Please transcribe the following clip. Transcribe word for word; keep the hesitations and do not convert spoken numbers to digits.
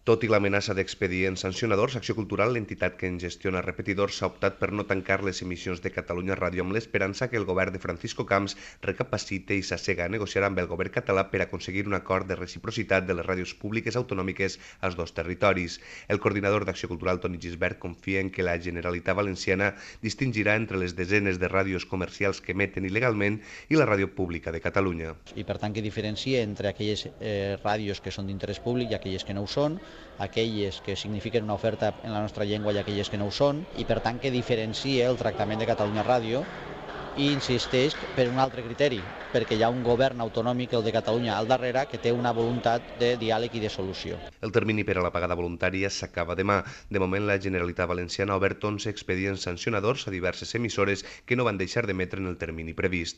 Tot i l'amenaça d'expedients sancionadors, Acció Cultural, l'entitat que en gestiona repetidors, s'ha optat per no tancar les emissions de Catalunya Ràdio amb l'esperança que el govern de Francisco Camps recapacite i s'assega a negociar amb el govern català per aconseguir un acord de reciprocitat de les ràdios públiques autonòmiques als dos territoris. El coordinador d'Acció Cultural, Toni Gisbert, confia en que la Generalitat Valenciana distingirà entre les desenes de ràdios comercials que emeten il·legalment i la ràdio pública de Catalunya. I per tant que diferencia entre aquelles eh, ràdios que són d'interès públic i aquelles que no ho són, aquelles que signifiquen una oferta en la nostra llengua i aquelles que no ho són, i per tant que diferencia el tractament de Catalunya Ràdio i insisteix per un altre criteri, perquè hi ha un govern autonòmic, el de Catalunya, al darrere, que té una voluntat de diàleg i de solució. El termini per a la pagada voluntària s'acaba demà. De moment, la Generalitat Valenciana ha obert onze expedients sancionadors a diverses emissores que no van deixar d'emetre en el termini previst.